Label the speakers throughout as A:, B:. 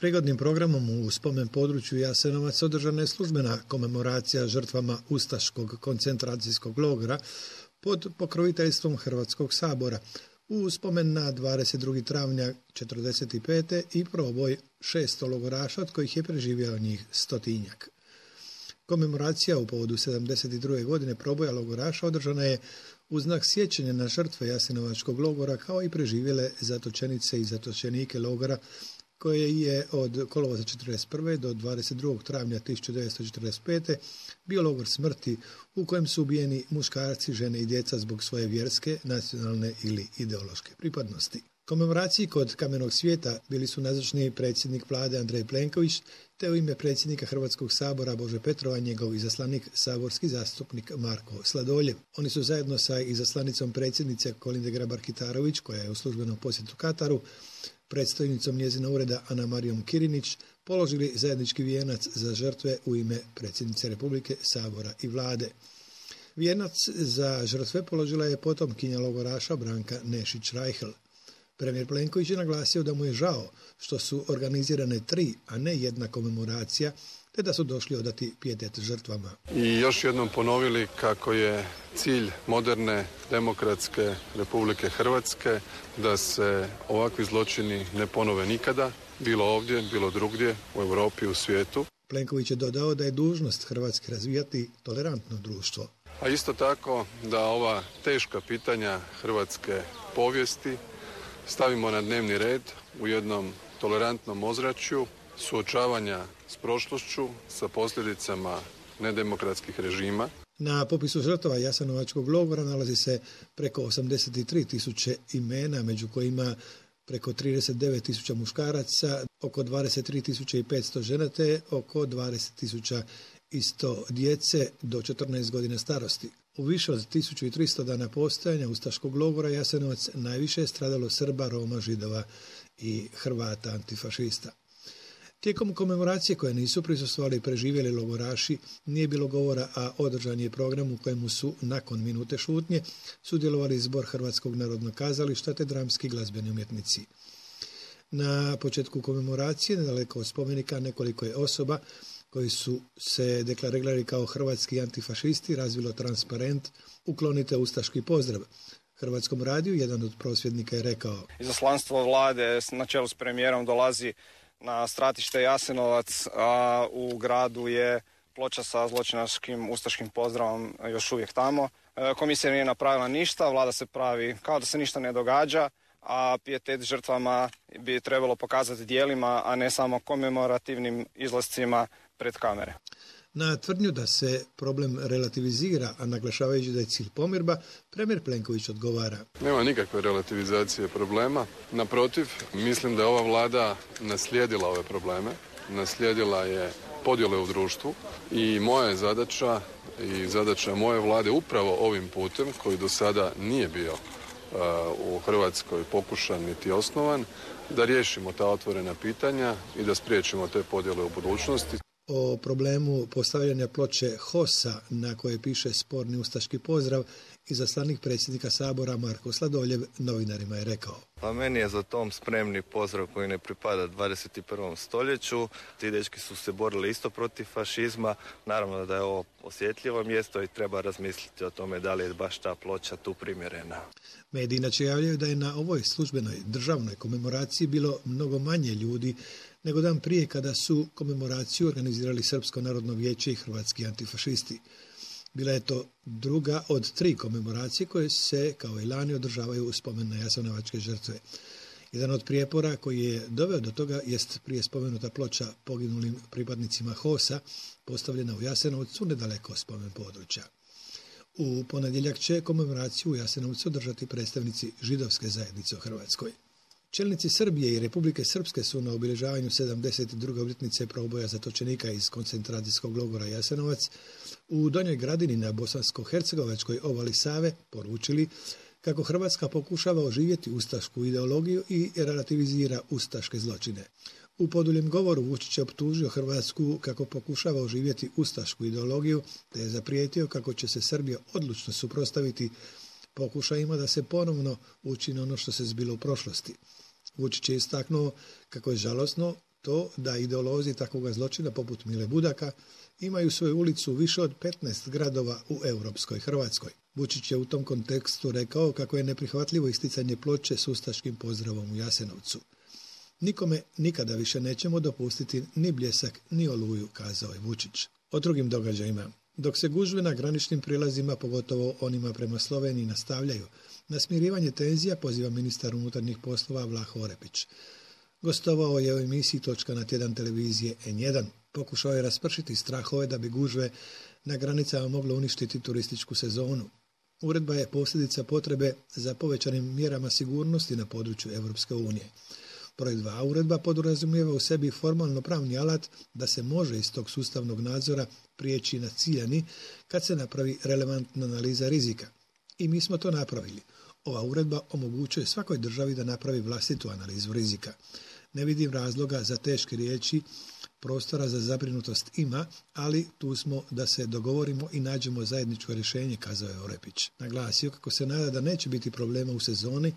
A: Prigodnim programom u spomen području Jasenovac održana je službena komemoracija žrtvama Ustaškog koncentracijskog logora pod pokroviteljstvom Hrvatskog sabora u spomen na 22. travnja 1945. i proboj 600 logoraša, od kojih je preživjelo njih 100-tinjak. Komemoracija u povodu 72. godine proboja logoraša održana je u znak sjećanja na žrtve Jasenovačkog logora kao i preživjele zatočenice i zatočenike logora koje je od kolovoza 1941. do 22. travnja 1945. bio logor smrti u kojem su ubijeni muškarci, žene i djeca zbog svoje vjerske, nacionalne ili ideološke pripadnosti. Komemoraciji kod Kamenog svijeta bili su nazočni predsjednik vlade Andrej Plenković, te u ime predsjednika Hrvatskog sabora Bože Petrova njegov izaslanik saborski zastupnik Marko Sladoljev. Oni su zajedno sa izaslanicom predsjednice Kolinde Grabar-Kitarović, koja je u službenom posjetu Kataru, predstojnicom njezina ureda Ana Marijom Kirinić, položili zajednički vijenac za žrtve u ime predsjednice Republike, sabora i vlade. Vijenac za žrtve položila je potomkinja logoraša Branka Nešić-Rajhel. Premijer Plenković je naglasio da mu je žao što su organizirane 3, a ne 1 komemoracija, te da su došli odati pijetet žrtvama.
B: I još jednom ponovili kako je cilj moderne demokratske Republike Hrvatske da se ovakvi zločini ne ponove nikada, bilo ovdje, bilo drugdje, u Europi, u svijetu.
A: Plenković je dodao da je dužnost Hrvatske razvijati tolerantno društvo.
B: A isto tako da ova teška pitanja hrvatske povijesti stavimo na dnevni red u jednom tolerantnom ozračju suočavanja s prošlošću, sa posljedicama nedemokratskih režima.
A: Na popisu žrtava Jasenovačkog logora nalazi se preko 83.000 imena, među kojima preko 39.000 muškaraca, oko 23.500 žena te oko 20.100 djece do 14 godina starosti. U više od 1300 dana postojanja Ustaškog logora Jasenovac najviše je stradalo Srba, Roma, Židova i Hrvata antifašista. Tijekom komemoracije koje nisu prisustvovali i preživjeli logoraši nije bilo govora, a održan je program u kojemu su nakon minute šutnje sudjelovali Zbor Hrvatskog narodnog kazališta te dramski glazbeni umjetnici. Na početku komemoracije, nedaleko od spomenika, nekoliko je osoba koji su se deklarirali kao hrvatski antifašisti razvilo transparent "Uklonite ustaški pozdrav". Hrvatskom radiju jedan od prosvjednika je rekao:
C: Izaslanstvo vlade na čelu s premijerom dolazi na stratište Jasenovac, a u gradu je ploča sa zločinačkim ustaškim pozdravom još uvijek tamo. Komisija nije napravila ništa, vlada se pravi kao da se ništa ne događa, a pijetet žrtvama bi trebalo pokazati djelima, a ne samo komemorativnim izlascima pred kamere.
A: Na tvrdnju da se problem relativizira, a naglašavajući da je cilj pomirba, premijer Plenković odgovara:
B: Nema nikakve relativizacije problema. Naprotiv, mislim da je ova vlada naslijedila ove probleme, naslijedila je podjele u društvu i moja je zadaća i zadaća moje vlade upravo ovim putem, koji do sada nije bio u Hrvatskoj pokušan niti osnovan, da riješimo ta otvorena pitanja i da spriječimo te podjele u budućnosti.
A: O problemu postavljanja ploče HOS-a na koje piše sporni ustaški pozdrav izaslanik predsjednika sabora Marko Sladoljev novinarima je rekao:
D: Pa meni je za tom spremni pozdrav koji ne pripada 21. stoljeću. Ti dečki su se borili isto protiv fašizma. Naravno da je ovo osjetljivo mjesto i treba razmisliti o tome da li je baš ta ploča tu primjerena.
A: Mediji inače javljaju da je na ovoj službenoj državnoj komemoraciji bilo mnogo manje ljudi nego dan prije kada su komemoraciju organizirali Srpsko narodno vijeće i hrvatski antifašisti. Bila je to druga od 3 komemoracije koje se, kao i lani, održavaju u spomen na jasenovačke žrtve. Jedan od prijepora koji je doveo do toga jest prije spomenuta ploča poginulim pripadnicima HOS-a, postavljena u Jasenovcu nedaleko spomen područja. U ponedjeljak će komemoraciju u Jasenovcu održati predstavnici židovske zajednice u Hrvatskoj. Čelnici Srbije i Republike Srpske su na obilježavanju 72. obljetnice proboja zatočenika iz koncentracijskog logora Jasenovac u Donjoj Gradini na bosansko-hercegovačkoj obali Save poručili kako Hrvatska pokušava oživjeti ustašku ideologiju i relativizira ustaške zločine. U poduljem govoru Vučić je optužio Hrvatsku kako pokušava oživjeti ustašku ideologiju, te je zaprijetio kako će se Srbija odlučno suprotstaviti pokušajima da se ponovno učini ono što se zbilo u prošlosti. Vučić je istaknuo kako je žalosno to da ideolozi takvoga zločina poput Mile Budaka imaju svoju ulicu u više od 15 gradova u europskoj Hrvatskoj. Vučić je u tom kontekstu rekao kako je neprihvatljivo isticanje ploče s ustaškim pozdravom u Jasenovcu. Nikome nikada više nećemo dopustiti ni Bljesak ni Oluju, kazao je Vučić. O drugim događajima. Dok se gužve na graničnim prilazima, pogotovo onima prema Sloveniji, nastavljaju, na smirivanje tenzija poziva ministar unutarnjih poslova Vlaho Orepić. Gostovao je u emisiji Točka na tjedan televizije N1. Pokušao je raspršiti strahove da bi gužve na granicama moglo uništiti turističku sezonu. Uredba je posljedica potrebe za povećanim mjerama sigurnosti na području Europske unije. Broj 2. Uredba podrazumijeva u sebi formalno pravni alat da se može iz tog sustavnog nadzora prijeći na ciljani kad se napravi relevantna analiza rizika. I mi smo to napravili. Ova uredba omogućuje svakoj državi da napravi vlastitu analizu rizika. Ne vidim razloga za teške riječi, prostora za zabrinutost ima, ali tu smo da se dogovorimo i nađemo zajedničko rješenje, kazao je Orepić. Naglasio kako se nada da neće biti problema u sezoni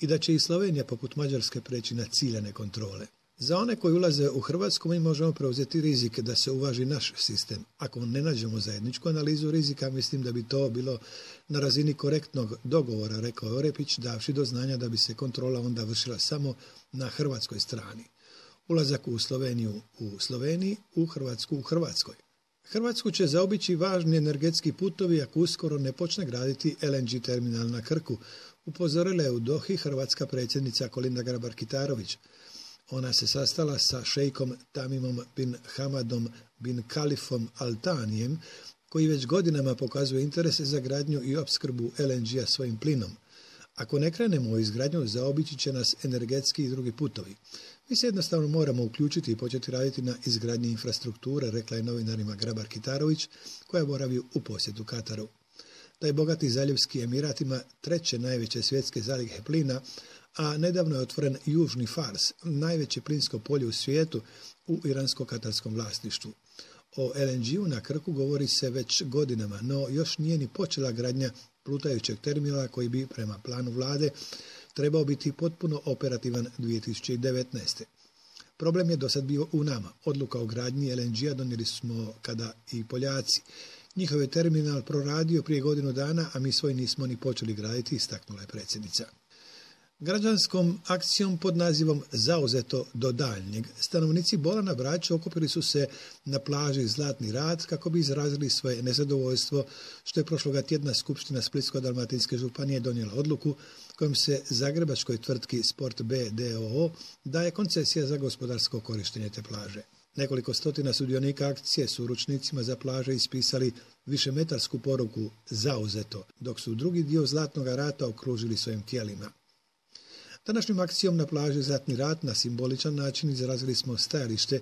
A: i da će i Slovenija poput Mađarske preći na ciljane kontrole. Za one koji ulaze u Hrvatsku mi možemo preuzeti rizik da se uvaži naš sistem. Ako ne nađemo zajedničku analizu rizika, mislim da bi to bilo na razini korektnog dogovora, rekao je Orepić, davši do znanja da bi se kontrola onda vršila samo na hrvatskoj strani. Ulazak u Sloveniju u Sloveniji, u Hrvatsku u Hrvatskoj. Hrvatsku će zaobići važni energetski putovi ako uskoro ne počne graditi LNG terminal na Krku, upozorila je u Dohi hrvatska predsjednica Kolinda Grabar-Kitarović. Ona se sastala sa šejkom Tamimom bin Hamadom bin Kalifom Al Thanijem, koji već godinama pokazuje interese za gradnju i opskrbu LNG-a svojim plinom. Ako ne krenemo u izgradnju, zaobići će nas energetski i drugi putovi. Mi se jednostavno moramo uključiti i početi raditi na izgradnji infrastrukture, rekla je novinarima Grabar-Kitarović, koja boravi u posjetu Kataru. Taj bogati zaljevski Emirat ima 3. najveće svjetske zalihe plina, a nedavno je otvoren Južni Fars, najveće plinsko polje u svijetu u iransko-katarskom vlasništvu. O LNG-u na Krku govori se već godinama, no još nije ni počela gradnja plutajućeg terminala koji bi, prema planu vlade, trebao biti potpuno operativan 2019. Problem je dosad bio u nama. Odluka o gradnji LNG-a donijeli smo kada i Poljaci. Njihov je terminal proradio prije godinu dana, a mi svoj nismo ni počeli graditi, istaknula je predsjednica. Građanskom akcijom pod nazivom Zauzeto do daljnjeg stanovnici Bola na Braču okupili su se na plaži Zlatni rat kako bi izrazili svoje nezadovoljstvo što je prošloga tjedna Skupština Splitsko-dalmatinske županije donijela odluku kojom se zagrebačkoj tvrtki Sport B d.o.o. daje koncesija za gospodarsko korištenje te plaže. Nekoliko stotina sudionika akcije su ručnicima za plaže ispisali višemetarsku poruku Zauzeto, dok su drugi dio Zlatnog rata okružili svojim tijelima. Današnjom akcijom na plaži Zlatni rat na simboličan način izrazili smo stajalište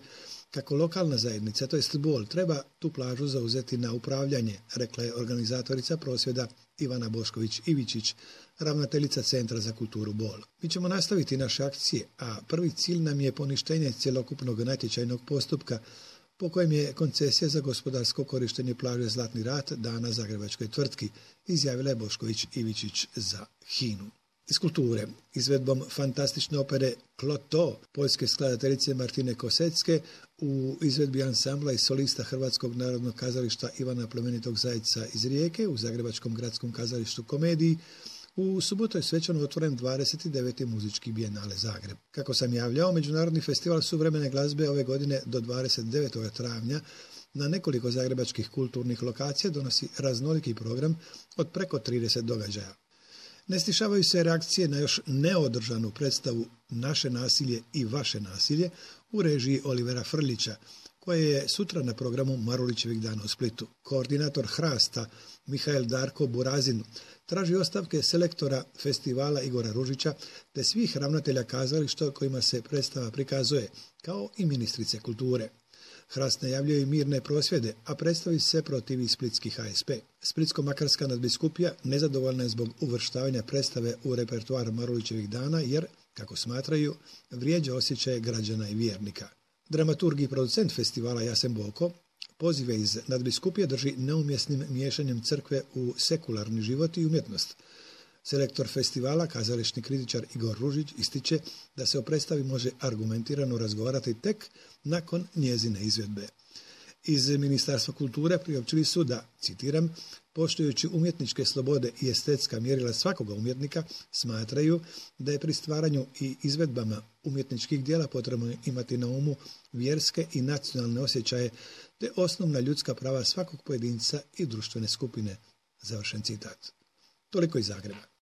A: kako lokalna zajednica, to jest Bol, treba tu plažu zauzeti na upravljanje, rekla je organizatorica prosvjeda Ivana Bošković-Ivičić, ravnateljica Centra za kulturu Bol. Mi ćemo nastaviti naše akcije, a prvi cilj nam je poništenje cjelokupnog natječajnog postupka po kojem je koncesija za gospodarsko korištenje plaže Zlatni rat dana zagrebačkoj tvrtki, izjavila je Bošković-Ivičić za HINA-u. Iz kulture, izvedbom fantastične opere Kloto, poljske skladateljice Martine Kosecke, u izvedbi ansambla i solista Hrvatskog narodnog kazališta Ivana Plemenitog Zajca iz Rijeke u Zagrebačkom gradskom kazalištu Komediji, u subotu je svečano otvoren 29. muzički bijenale Zagreb. Kako sam javljao, Međunarodni festival suvremene glazbe ove godine do 29. travnja na nekoliko zagrebačkih kulturnih lokacija donosi raznoliki program od preko 30 događaja. Ne stišavaju se reakcije na još neodržanu predstavu Naše nasilje i vaše nasilje u režiji Olivera Frljića, koje je sutra na programu Marulićevih dana u Splitu. Koordinator Hrasta Mihael Darko Burazin traži ostavke selektora festivala Igora Ružića te svih ravnatelja kazališta kojima se predstava prikazuje, kao i ministrice kulture. Hrast najavljuje i mirne prosvjede, a predstavi se protivi splitski HSP. Splitsko-makarska nadbiskupija nezadovoljna je zbog uvrštavanja predstave u repertoar Marulićevih dana jer, kako smatraju, vrijeđa osjećaje građana i vjernika. Dramaturg i producent festivala Jasen Boko pozive iz nadbiskupije drži neumjesnim miješanjem crkve u sekularni život i umjetnost. Selektor festivala, kazališni kritičar Igor Ružić, ističe da se o predstavi može argumentirano razgovarati tek nakon njezine izvedbe. Iz Ministarstva kulture priopćili su da, citiram, poštujući umjetničke slobode i estetska mjerila svakoga umjetnika, smatraju da je pri stvaranju i izvedbama umjetničkih djela potrebno imati na umu vjerske i nacionalne osjećaje te osnovna ljudska prava svakog pojedinca i društvene skupine. Završen citat. Toliko iz Zagreba.